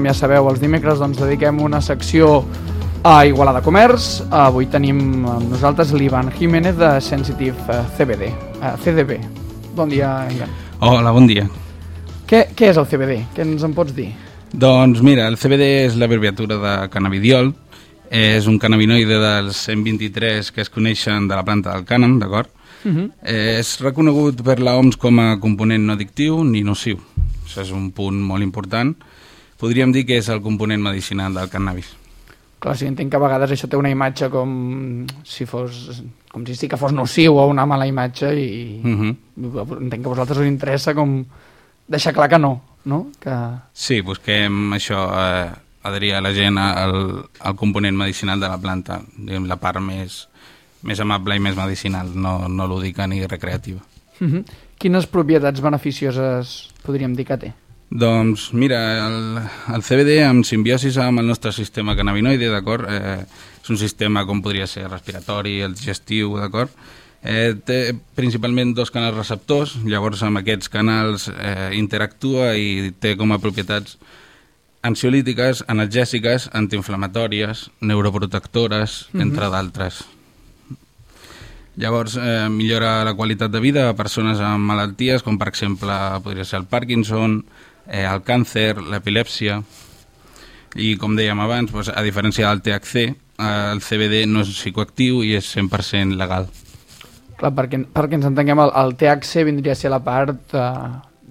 com ja sabeu, els dimecres dediquem una secció a Igualada Comerç. Avui tenim amb nosaltres l'Ivan Jiménez de Sensitive CBD. Bon dia, Ivan. Hola, bon dia. Què és el CBD? Què ens en pots dir? Doncs mira, el CBD és l'abreviatura de cannabidiol. És un cannabinoide dels 123 que es coneixen de la planta del cànem, d'acord? És reconegut per l'OMS com a component no addictiu ni nociu. Això és un punt molt important. Podríem dir que és el component medicinal del cannabis. Clar, sí, entenc que a vegades això té una imatge com si sí que fos nociu o una mala imatge i entenc que a vosaltres us interessa com deixar clar que no? Que... Sí, busquem això, adherir a la gent al component medicinal de la planta, diguem, la part més amable i més medicinal, no lúdica ni recreativa. Quines propietats beneficioses podríem dir que té? Doncs mira, el CBD en simbiosis amb el nostre sistema cannabinoide, d'acord? És un sistema com podria ser respiratori, el digestiu, d'acord? Té principalment 2 canals receptors, llavors amb aquests canals interactua i té com a propietats ansiolítiques, analgèsiques, antiinflamatòries, neuroprotectores, entre d'altres. Llavors millora la qualitat de vida a persones amb malalties com per exemple podria ser el Parkinson, el càncer, l'epilèpsia, i com dèiem abans, a diferència del THC, el CBD no és psicoactiu i és 100% legal. Clar, perquè ens entenguem, el THC vindria a ser la part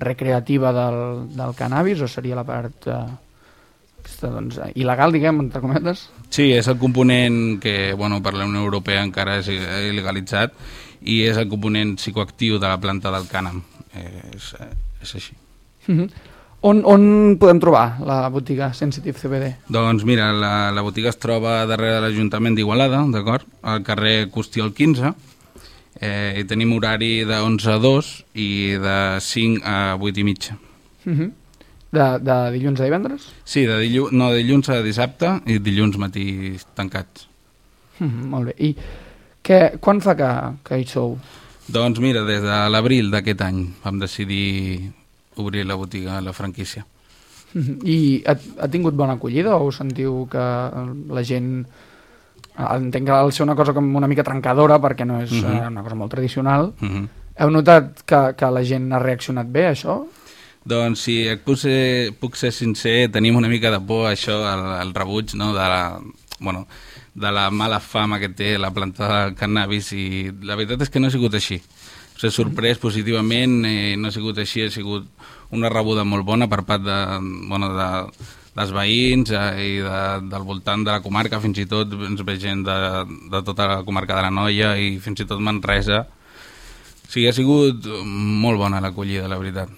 recreativa del cannabis o seria la part il·legal, diguem, entre cometes? Sí, és el component que per la Unió Europea encara és il·legalitzat i és el component psicoactiu de la planta del cànem. És així. On podem trobar la botiga Sensitive CBD? Doncs mira, la botiga es troba darrere de l'Ajuntament d'Igualada, d'acord? Al carrer Costiol 15, i tenim horari de 11 a 2 i de 5 a 8 i mitja. De dilluns a divendres? Sí, de dilluns a dissabte i dilluns matí tancats. Molt bé. I quan fa que hi sou? Doncs mira, des de l'abril d'aquest any vam decidir obrir la botiga, la franquícia. I ha tingut bona acollida o sentiu que la gent... Entenc que ha de ser una cosa com una mica trencadora perquè no és una cosa molt tradicional. Heu notat que la gent ha reaccionat bé a això? Doncs si puc ser sincer, tenim una mica de por a això, al rebuig, no? de la mala fama que té la planta del cannabis, i la veritat és que no ha sigut així. S'ha sorprès positivament, no ha sigut així, ha sigut una rebuda molt bona per part dels veïns i del voltant de la comarca, fins i tot ens ve gent de tota la comarca de l'Anoia i fins i tot Manresa. O sigui, ha sigut molt bona l'acollida, la veritat.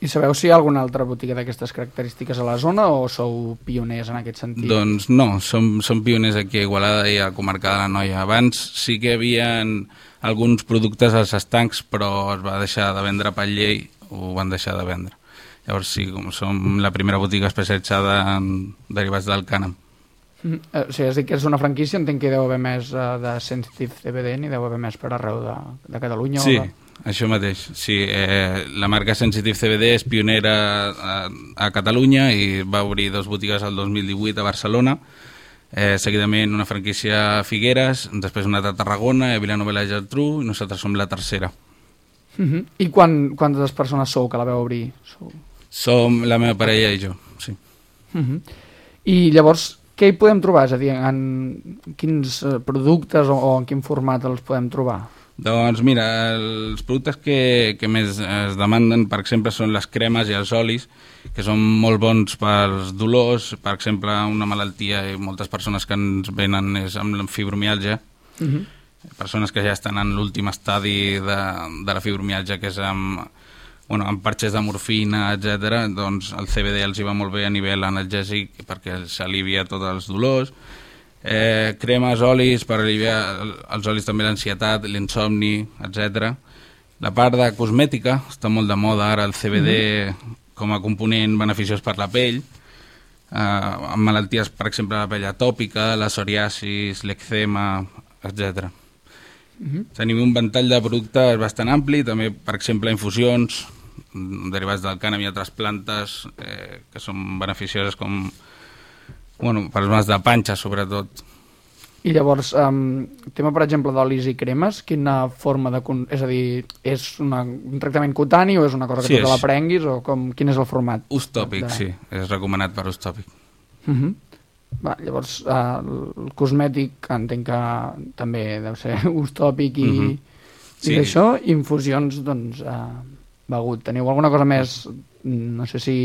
I sabeu si hi ha alguna altra botiga d'aquestes característiques a la zona o sou pioners en aquest sentit? Doncs no, som pioners aquí a Igualada i a la comarca de l'Anoia. Abans sí que hi havia alguns productes als estancs, però es va deixar de vendre per llei, ho van deixar de vendre. Llavors sí, com som la primera botiga especialitzada en derivats del cànem. O sigui, és dir que és una franquícia, entenc que hi deu haver més de Sensitive CBD, n'hi deu haver més per arreu de Catalunya? Sí, això mateix. Sí, la marca Sensitive CBD és pionera a Catalunya i va obrir 2 botigues el 2018 a Barcelona, seguidament una franquícia a Figueres, després una a Tarragona, a Vilanova i la Geltrú, i nosaltres som la tercera. I quantes persones sou que la veu obrir? Som la meva parella i jo, sí. I llavors, què hi podem trobar? És a dir, en quins productes o en quin format els podem trobar? Doncs mira, els productes que més es demanden, per exemple, són les cremes i els olis, que són molt bons pels dolors. Per exemple, una malaltia i moltes persones que ens venen és amb fibromiàlgia, persones que ja estan en l'últim estadi de la fibromiàlgia, que és amb parxes de morfina, etc. Doncs el CBD els hi va molt bé a nivell analgèsic perquè s'alivia tots els dolors. Cremes, olis per aliviar els olis també l'ansietat, l'insomni, etc. La part de cosmètica està molt de moda ara, el CBD com a component beneficiós per la pell, amb malalties, per exemple, la pell atòpica, la psoriasis, l'èczema, etc. Tenim un ventall de productes bastant ampli, també, per exemple, infusions, derivats del cànem i altres plantes que són beneficioses com per als mals de panxa, sobretot. I llavors, tema, per exemple, d'olis i cremes, quina forma de... És a dir, és un tractament cutani o és una cosa que tu te la prenguis o quin és el format? Ús tòpic, sí. És recomanat per ús tòpic. Va, llavors, el cosmètic entenc que també deu ser ús tòpic i d'això, infusions, doncs, begut. Teniu alguna cosa més, no sé si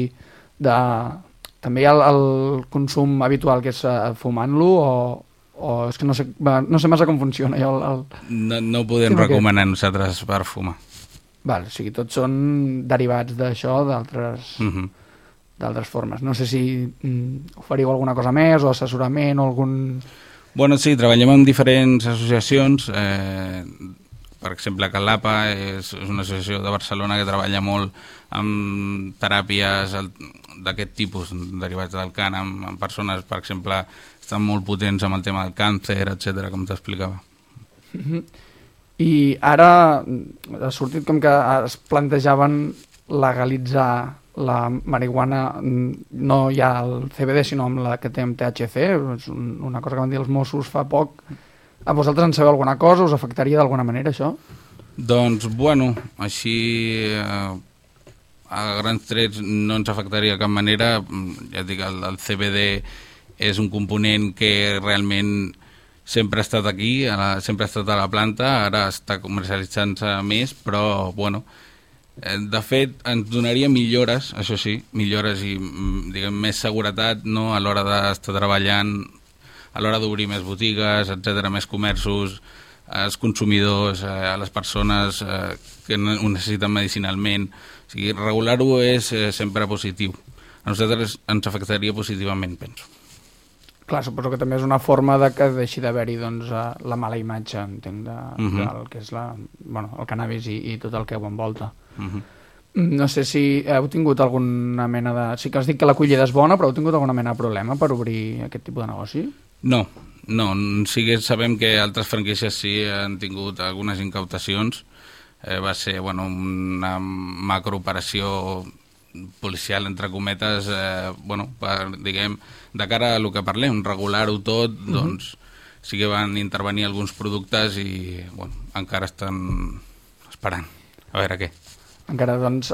també hi ha el consum habitual que és fumant-lo o és que no sé massa com funciona. No ho podem recomanar nosaltres per fumar. Val, o sigui, tots són derivats d'això, d'altres formes. No sé si oferiu alguna cosa més o assessorament o algun... Bueno, sí, treballem amb diferents associacions. Per exemple, Calapa és una associació de Barcelona que treballa molt amb teràpies d'aquest tipus, derivats del cànem, amb persones, per exemple, estan molt potents amb el tema del càncer, etc, com t'explicava. I ara ha sortit com que es plantejaven legalitzar la marihuana, no ja el CBD, sinó amb la que té amb THC, és una cosa que van dir els Mossos fa poc. A vosaltres en sabeu alguna cosa? Us afectaria d'alguna manera, això? Doncs, bueno, així a grans trets no ens afectaria de cap manera. Ja et dic, el CBD és un component que realment sempre ha estat aquí, sempre ha estat a la planta, ara està comercialitzant-se més, però, bueno, de fet, ens donaria millores, això sí, millores i, diguem, més seguretat, no?, a l'hora d'estar treballant, a l'hora d'obrir més botigues, etc, més comerços, als consumidors, a les persones que ho necessiten medicinalment. O sigui, regular-ho és sempre positiu. A nosaltres ens afectaria positivament, penso. Clar, suposo que també és una forma de que deixi d'haver-hi doncs, la mala imatge, entenc, del que és el cannabis i tot el que ho envolta. No sé si heu tingut alguna mena de... Sí que has dit que l'acollida és bona, però heu tingut alguna mena de problema per obrir aquest tipus de negoci? No. Sí que sabem que altres franquícies sí han tingut algunes incautacions. Va ser una macrooperació policial, entre cometes, diguem, de cara a el que parlem, regular-ho tot, doncs sí que van intervenir alguns productes i encara estan esperant a veure què. Encara, doncs,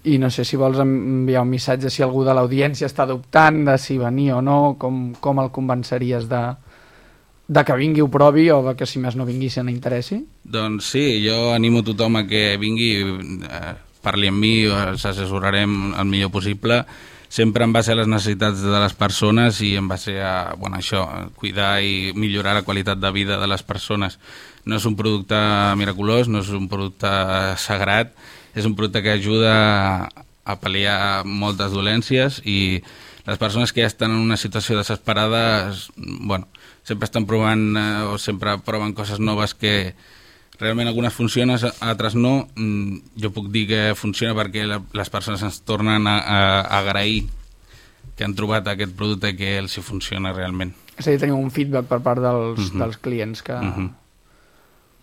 i no sé si vols enviar un missatge si algú de l'audiència està dubtant de si venir o no, com el convenceries de que vingui, ho provi, o de que si més no vingui se n'interessi? Doncs sí, jo animo tothom a que vingui, parli amb mi, els assessorarem el millor possible, sempre en base a les necessitats de les persones i en base a cuidar i millorar la qualitat de vida de les persones. No és un producte miraculós, no és un producte sagrat, és un producte que ajuda a pal·liar moltes dolències i les persones que ja estan en una situació desesperada, sempre estan provant o sempre proven coses noves que realment algunes funcionen, altres no. Jo puc dir que funciona perquè les persones ens tornen a agrair que han trobat aquest producte i que els hi funciona realment. És a dir, teniu un feedback per part dels clients que...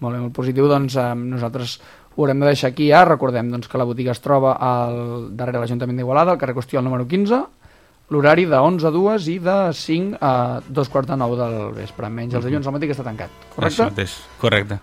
Molt bé, molt positiu. Doncs nosaltres ho haurem de deixar aquí ja. Recordem doncs, que la botiga es troba darrere l'Ajuntament d'Igualada, al carrer Costiol número 15, l'horari de 11 a 2 i de 5 a 2:45 del vespre. Menys els dilluns al matí que està tancat, correcte? Això mateix, correcte.